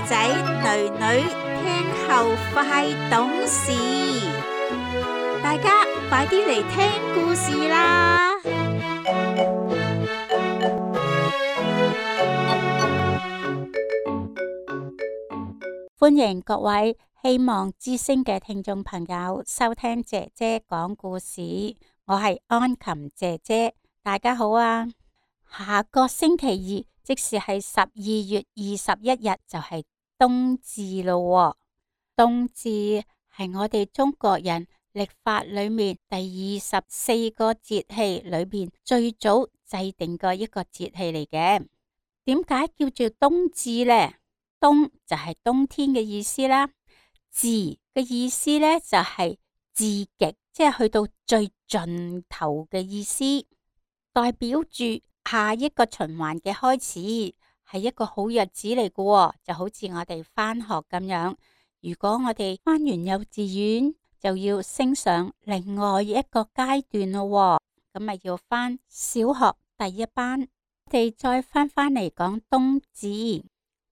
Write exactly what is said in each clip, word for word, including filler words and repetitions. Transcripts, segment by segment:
仔仔、女女聽後快懂事，大家快啲嚟聽故事啦！歡迎各位希望之聲嘅聽眾朋友收聽姐姐講故事，我係安琴姐姐，大家好啊！下個星期二，即是係十二月二十一日，就係冬至咯。冬至係我哋中國人曆法裏面第二十四個節氣裏面最早制定嘅一個節氣嚟嘅。點解叫做冬至呢？冬就係冬天嘅意思啦，至嘅意思呢，就係至極，即係去到最盡頭嘅意思，代表住下一個循環嘅開始，係一個好日子嚟嘅。就好似我哋返學咁樣，如果我哋返完幼稚園就要升上另外一個階段咯，咁咪要返小學第一班。我哋再返返嚟講冬至。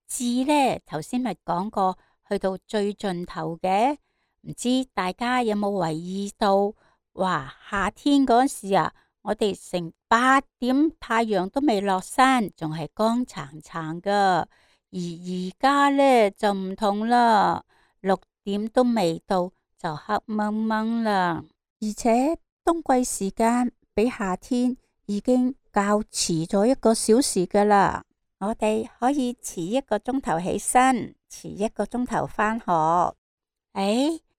至呢，頭先咪講過，去到最盡頭嘅，唔知大家有冇留意到？哇，夏天嗰時啊，我哋成八點太陽都未落山，仲係光燦燦噶。而而家呢就唔同啦，六點都未到就黑掹掹啦。而且冬季時間比夏天已經較遲咗一個小時噶啦。我哋可以遲一個鐘頭起身，遲一個鐘頭返學。誒，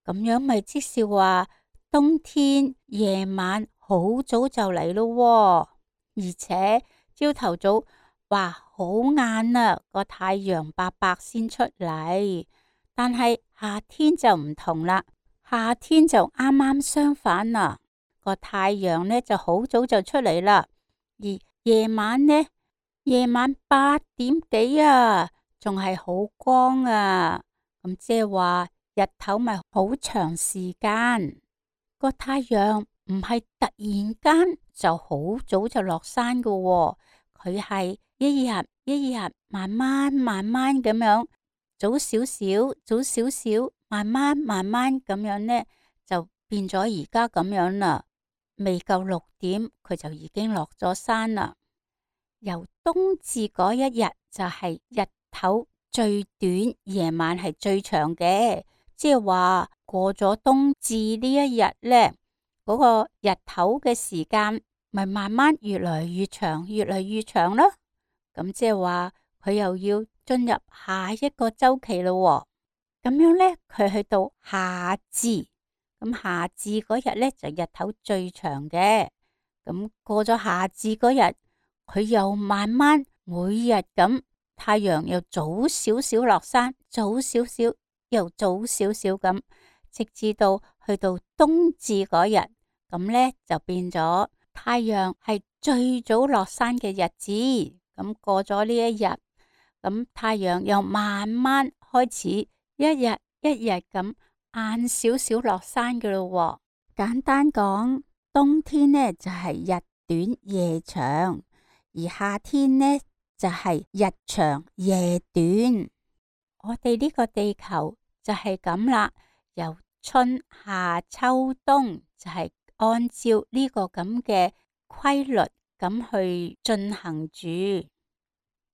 咁樣咪即是話冬天夜晚好早就嚟咯，而且朝頭早哇好晏啦，個太陽白白先出嚟。但係夏天就唔同啦，夏天就啱啱相反啦，個太陽呢就好早就出嚟啦，而夜晚呢？夜晚八點幾啊，仲係好光啊，咁即係話日頭咪好長時間，個太陽唔係突然間就好早就落山噶喎，佢係一日一日慢慢慢慢咁樣，早少少早少少，慢慢慢慢咁樣呢，就變咗而家咁樣啦，未夠六點佢就已經落咗山啦。由冬至嗰一日就係日頭最短，夜晚係最長嘅，即係話過咗冬至呢一日呢，嗰個日頭嘅時間咪慢慢越來越長，越來越長咯。咁即係話佢又要進入下一個周期咯。咁樣呢，佢去到夏至，咁夏至嗰日呢，就日頭最長嘅。咁過咗夏至嗰日，佢又慢慢每日咁，太陽又早少少落山，早少少又早少少咁，直至到去到冬至嗰日，咁呢就變咗太陽係最早落山嘅日子。咁過咗呢一日，咁太陽又慢慢開始一日一日咁晏少少落山嘅咯。簡單講，冬天呢就係日短夜長。而夏天呢就係日長夜短，我哋呢個地球就係咁啦，由春夏秋冬就係按照呢個咁嘅規律咁去進行住。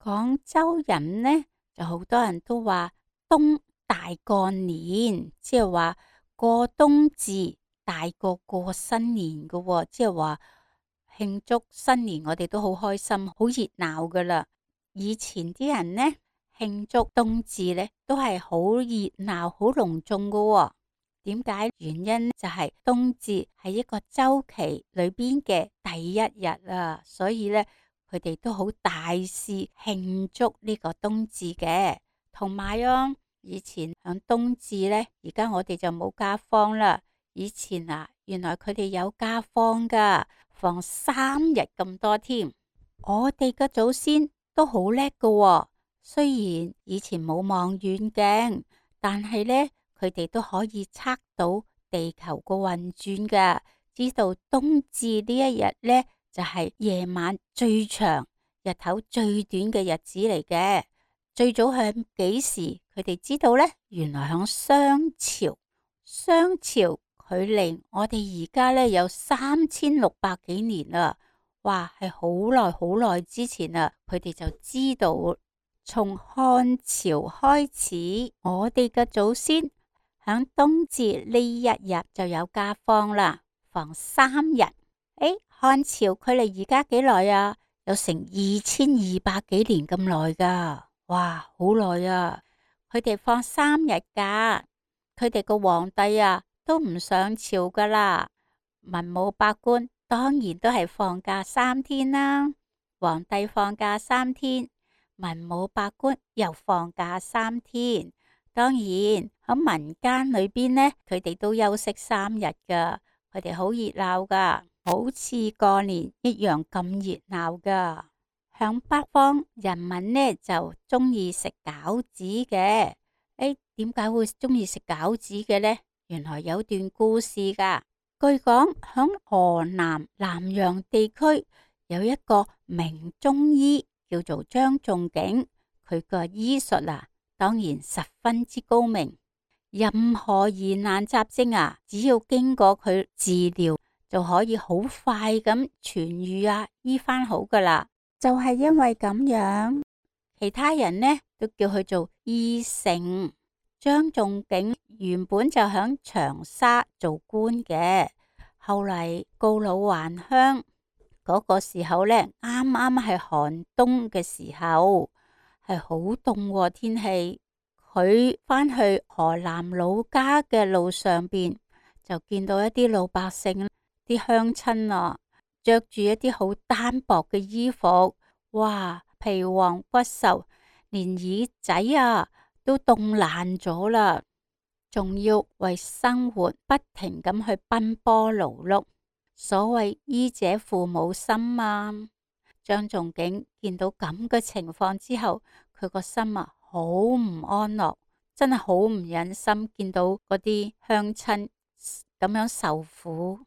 廣州人呢就好多人都話冬大過年，即係話過冬至大過過新年噶喎，即係話慶祝新年我哋都好開心，好熱鬧噶啦。以前啲人呢慶祝冬至呢都係好熱鬧好隆重噶喎。點解？原因就係冬至係一個周期裏邊嘅第一日啊，所以呢佢哋都好大肆慶祝呢個冬至嘅。同埋啊，以前響冬至呢，而家我哋就冇假放啦。以前啊，原來佢哋有假放噶，放三日咁多添。我哋嘅祖先都好叻噶喎，雖然以前冇望遠鏡，但係呢，佢哋都可以測到地球個運轉噶，知道冬至呢一日呢，就係夜晚最長、日頭最短嘅日子嚟嘅。最早係幾時佢哋知道呢，原來響商朝，商朝距離我哋而家呢有三千六百幾年啦，哇，係好耐好耐之前啦，佢哋就知道從漢朝開始，我哋嘅祖先響冬至呢一日就有假放啦，放三日。誒，漢朝距離而家幾耐啊？有成二千二百幾年咁耐噶，哇，好耐啊！佢哋放三日假，佢哋個皇帝啊都唔上朝噶啦，文武百官當然都係放假三天啦。皇帝放假三天，文武百官又放假三天，當然喺民間裏邊呢，佢哋都休息三日噶，佢哋好熱鬧噶。好似過年一樣咁熱鬧噶。響北方人民呢就中意食餃子嘅。誒，點解會中意食餃子嘅呢？原來有段故事噶。據講響河南南陽地區有一個名中醫叫做張仲景，佢個醫術啊當然十分之高明，任何疑難雜症啊只要經過佢治療就可以好快咁痊癒啊，醫翻好噶啦。就係因為咁樣，其他人呢都叫佢做醫聖。張仲景原本就響長沙做官嘅，後嚟告老還鄉嗰個時候呢，啱啱係寒冬嘅時候，係好凍天氣。佢翻去河南老家嘅路上邊，就見到一啲老百姓。啲鄉親啊，着住一啲好單薄嘅衣服，哇，皮黃骨瘦，連耳仔啊都凍爛咗啦，仲要為生活不停咁去奔波勞碌。所謂醫者父母心啊，張仲景見到咁嘅情況之後，佢個心啊好唔安樂，真係好唔忍心見到嗰啲鄉親咁樣受苦。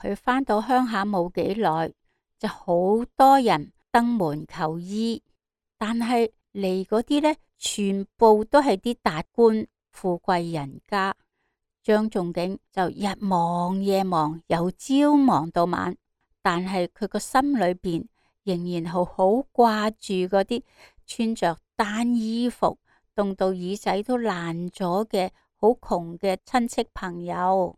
佢返到鄉下冇幾耐，就好多人登門求醫，但係嚟嗰啲呢，全部都係啲達官富貴人家。張仲景就日忙夜忙，由朝忙到晚，但係佢個心裏邊仍然好好掛住嗰啲穿着單衣服、凍到耳仔都爛咗嘅好窮嘅親戚朋友。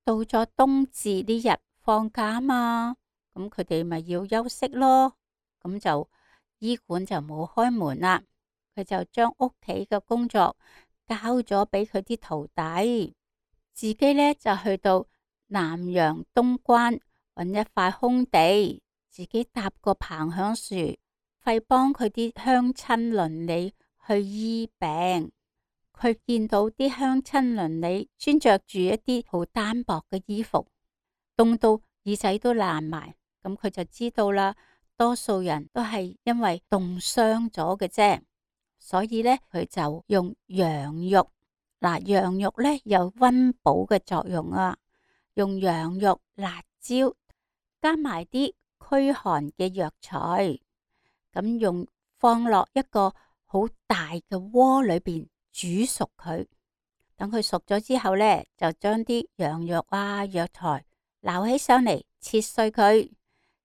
到咗冬至呢日放假嘛，咁佢哋咪要休息咯，咁就醫館就冇開門啦。佢就將屋企嘅工作交咗俾佢啲徒弟，自己呢就去到南陽東關揾一塊空地，自己搭個棚響樹，費幫佢啲鄉親鄰里去醫病。佢見到啲鄉親鄰里穿着住一啲好單薄嘅衣服，凍到耳仔都爛埋，咁佢就知道啦，多數人都係因為凍傷咗嘅啫。所以呢，佢就用羊肉，嗱，羊肉呢有溫補嘅作用啊，用羊肉、辣椒加埋啲驅寒嘅藥材，咁用放落一個好大嘅鍋裏邊。煮熟佢，等佢熟咗之後呢，就將啲羊肉啊、藥材撈起上嚟，切碎佢，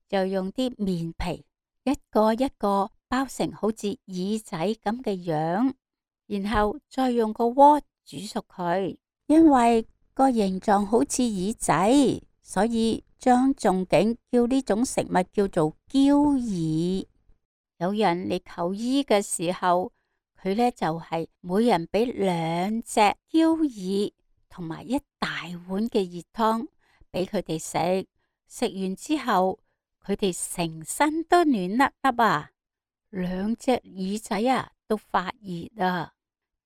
就用啲麵皮一個一個包成好似耳仔咁嘅樣，然後再用個鍋煮熟佢。因為個形狀好似耳仔，所以張仲景叫呢種食物叫做嬌耳。有人嚟求醫嘅時候，佢呢就係、是、每人俾兩隻嬌耳同埋一大碗嘅熱湯俾佢哋食，食完之後佢哋成身都暖粒粒啊，兩隻耳仔啊都發熱啊。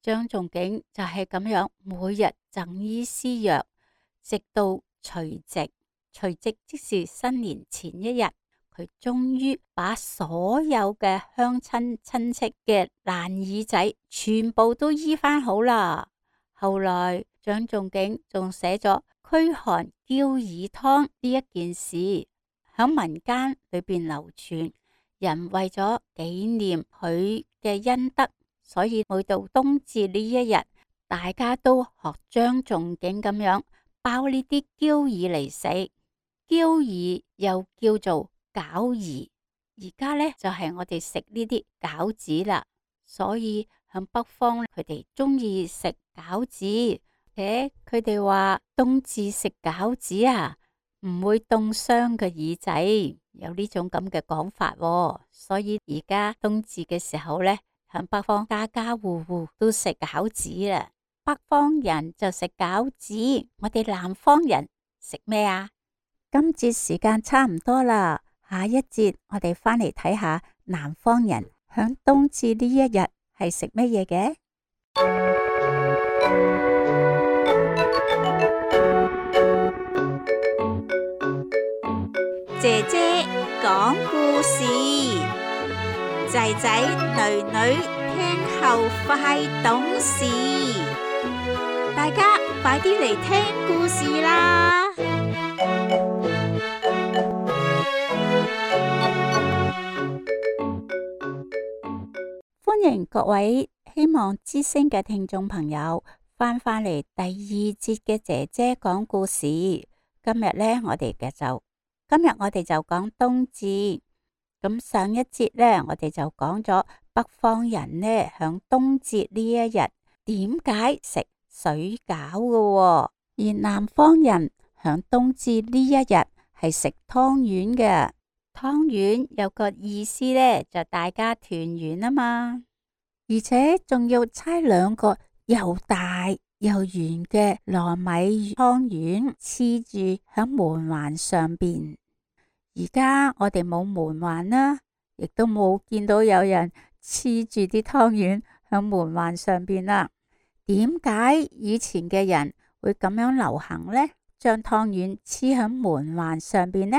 張仲景就係咁樣每日贈醫施藥，直到除夕，除夕即是新年前一日。佢終於把所有嘅鄉親親戚嘅爛耳仔全部都醫翻好啦。後來張仲景仲寫咗驅寒嬌耳湯呢一件事，響民間裏邊流傳。人為咗紀念佢嘅恩德，所以每到冬至呢一日，大家都學張仲景咁樣包呢啲膠耳嚟食。膠耳又叫做餃兒，而家呢，就係、是、我哋食呢啲餃子啦。所以響北方佢哋中意食餃子，誒佢哋話冬至食餃子啊，唔會凍傷個耳仔，有呢種咁嘅講法喎。所以而家冬至嘅時候呢，響北方家家戶戶都食餃子啦。北方人就食餃子，我哋南方人食咩啊？今節時間差唔多啦，下一節我哋返嚟睇下南方人響冬至呢一日係食乜嘢嘅。姐姐講故事，仔仔女女聽後快懂事，大家快啲嚟聽故事啦！歡迎各位希望之聲嘅聽眾朋友翻返嚟第二節嘅姐姐講故事。今日呢，我哋嘅就今日我哋就講冬至。咁上一節呢，我哋就講咗北方人呢響冬至呢一日點解食水餃嘅，而南方人響冬至呢一日係食湯圓嘅。湯圓有個意思呢，就大家團圓啊嘛，而且仲要猜兩個又大又圓嘅糯米湯圓黐住響門環上邊。而家我哋冇門環啦，亦都冇見到有人黐住啲湯圓響門環上邊啦。點解以前嘅人會咁樣流行呢？將湯圓黐響門環上邊呢？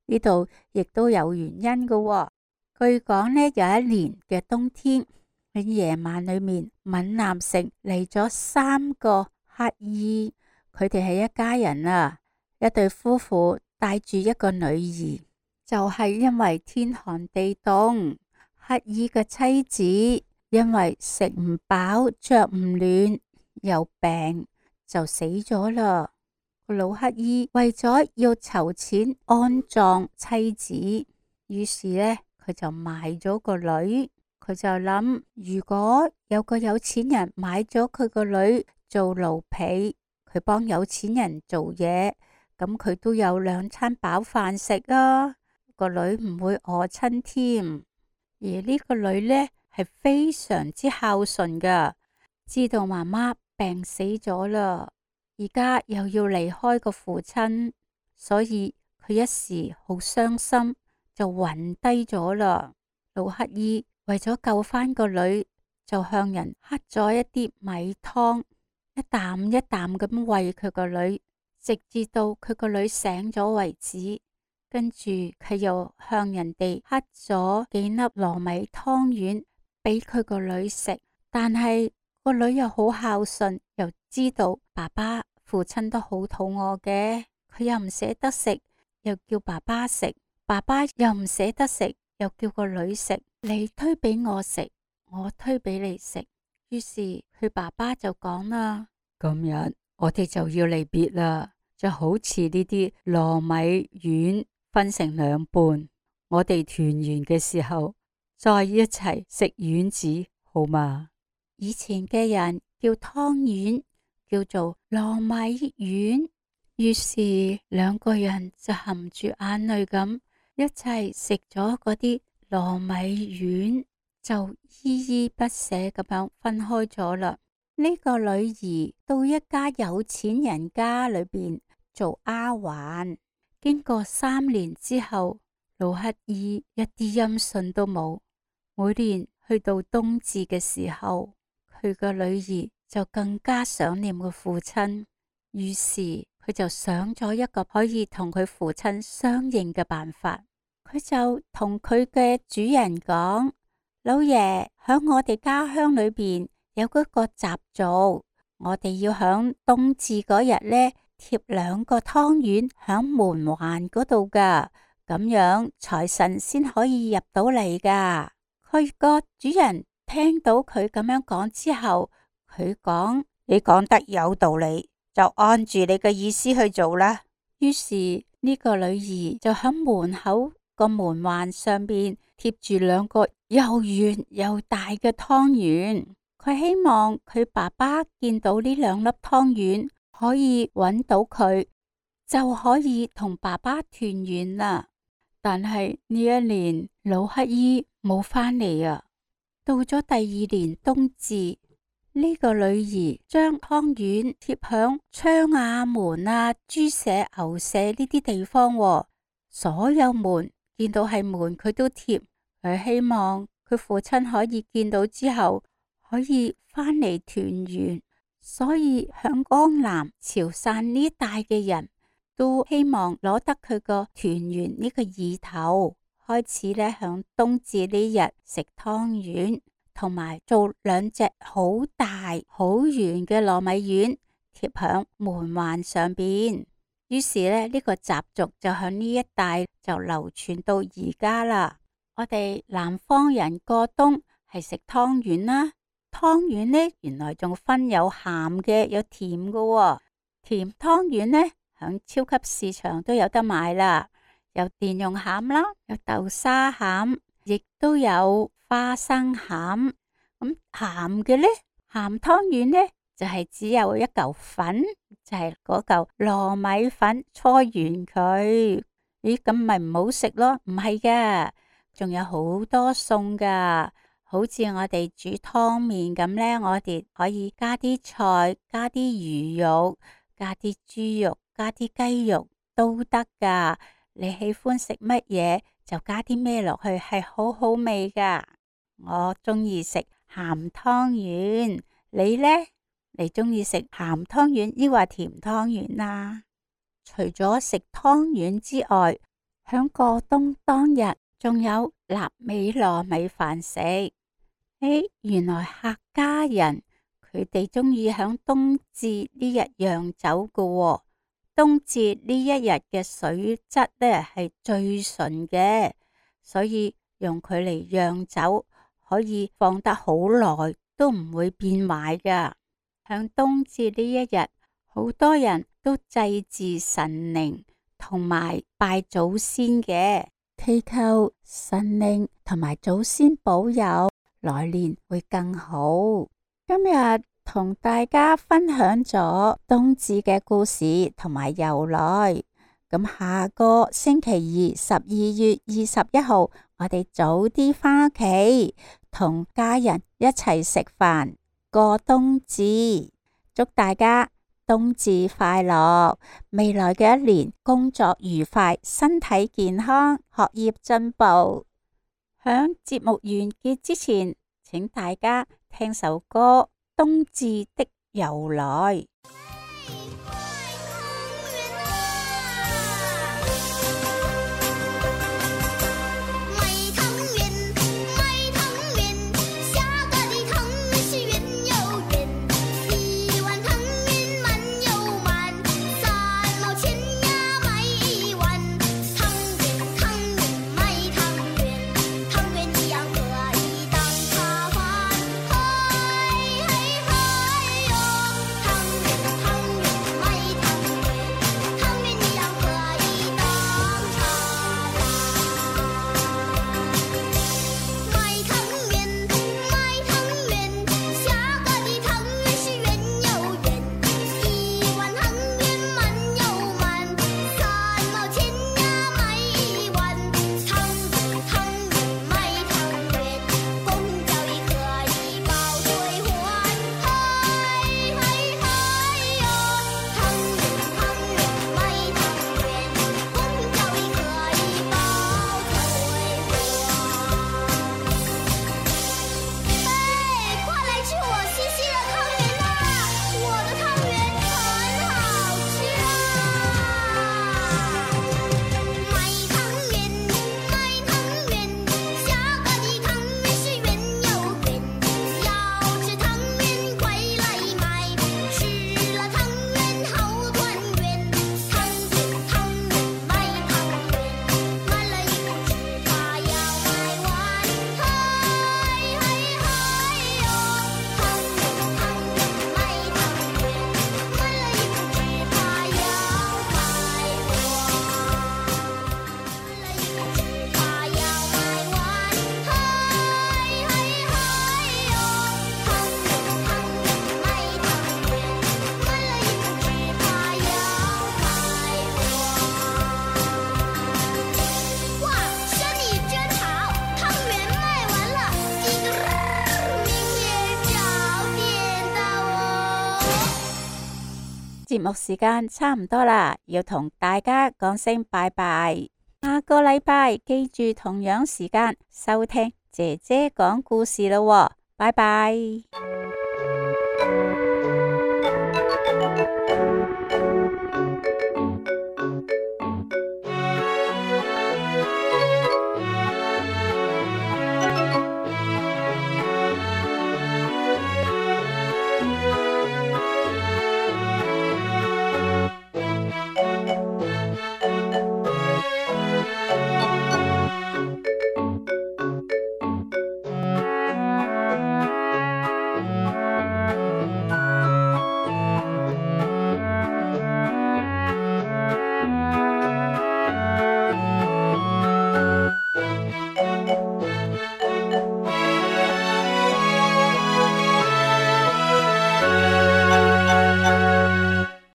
呢度亦都有原因嘅喎。據講呢，有一年嘅冬天喺夜晚裏面，閩南城嚟咗三個乞兒，佢哋係一家人啊，一對夫婦帶住一個女兒，就係因為天寒地凍，乞兒嘅妻子因為食唔飽着唔暖又病就死咗啦。個老乞兒為咗要籌錢安葬妻子，於是呢，佢就賣咗個女。佢就諗，如果有個有錢人買咗佢個女做奴婢，佢幫有錢人做嘢，咁佢都有兩餐飽飯食啊，個女唔會餓親添。而呢個女呢，係非常之孝順噶，知道媽媽病死咗啦，而家又要離開個父親，所以佢一時好傷心，就暈低咗啦。老乞兒為咗救翻個女，就向人乞咗一啲米湯，一啖一啖咁餵佢個女，直至到佢個女醒咗為止。跟住佢又向人哋乞咗幾粒糯米湯圓俾佢個女食，但係個女又好孝順，又知道爸爸父親都好肚餓嘅，佢又唔捨得食，又叫爸爸食，爸爸又唔捨得食，又叫個女食，你推俾我食，我推俾你食。於是佢爸爸就講啦，今日我哋就要離別啦，就好似呢啲糯米丸分成兩半，我哋團圓嘅時候再一齊食丸子好嗎？以前嘅人叫湯圓叫做糯米丸，於是兩個人就含住眼淚咁一齊食咗嗰啲糯米丸，就依依不捨咁樣分開咗啦。呢個女兒到一家有錢人家裏邊做丫鬟，經過三年之後，老乞兒一啲音訊都冇。每年去到冬至嘅時候，佢個女兒就更加想念個父親，於是佢就想咗一個可以同佢父親相應嘅辦法。佢就同佢嘅主人講，老爺，響我哋家鄉裏邊有嗰個習俗，我哋要響冬至嗰日呢貼兩個湯圓響門環嗰度噶，咁樣財神先可以入到嚟噶。佢個主人聽到佢咁樣講之後，佢講：你講得有道理，就按住你嘅意思去做啦。於是呢個女兒就喺門口個門環上邊貼住兩個又圓又大嘅湯圓。佢希望佢爸爸見到呢兩粒湯圓，可以揾到佢，就可以同爸爸團圓啦。但係呢一年老乞衣冇返嚟啊！到咗第二年冬至，呢個女兒將湯圓貼響窗啊、門啊、豬舍、牛舍呢啲地方，所有門見到係門佢都貼。佢希望佢父親可以見到之後可以返嚟團圓。所以響江南、潮汕呢一帶嘅人都希望攞得佢個團圓呢個意頭，開始咧響冬至呢日食湯圓，同埋做兩隻好大好圓嘅糯米丸貼響門環上邊。於是咧呢個習俗就響呢一帶就流傳到而家啦。我哋南方人過冬係食湯圓啦，湯圓呢原來仲分有鹹嘅有甜嘅喎。甜湯圓呢響超級市場都有得買啦，有蓮蓉餡啦，有豆沙餡，亦都有花生餡。咁鹹嘅呢，鹹湯圓呢就係、是、只有一嚿粉，就係嗰嚿糯米粉搓圓佢。咦，咁咪唔好食咯？唔係噶，仲有好多餸噶，好似我哋煮湯麵咁呢，我哋可以加啲菜，加啲魚肉，加啲豬肉，加啲雞肉都得噶。你喜歡食乜嘢就加啲咩落去，係好好味噶。我中意食鹹湯圓，你呢？你中意食鹹湯圓抑或甜湯圓啊？除咗食湯圓之外，響過冬當日仲有臘味糯米飯食。誒，原來客家人佢哋中意響冬至呢日釀酒噶喎。冬至呢一日嘅水質呢係最純嘅，所以用佢嚟釀酒可以放得好耐都唔會變壞噶。響冬至呢一日，好多人都祭祀神靈同埋拜祖先嘅，祈求神靈同埋祖先保佑來年會更好。今日同大家分享咗冬至嘅故事同埋由來。咁下個星期二十二月二十一號，我哋早啲返屋企同家人一齊食飯過冬至。祝大家冬至快樂，未來嘅一年工作愉快，身體健康，學業進步。響節目完結之前，請大家聽首歌《冬至的由來》。湯圓節目時間差唔多啦，要同大家講聲拜拜。下個禮拜記住同樣時間收聽姐姐講故事咯喎，拜拜。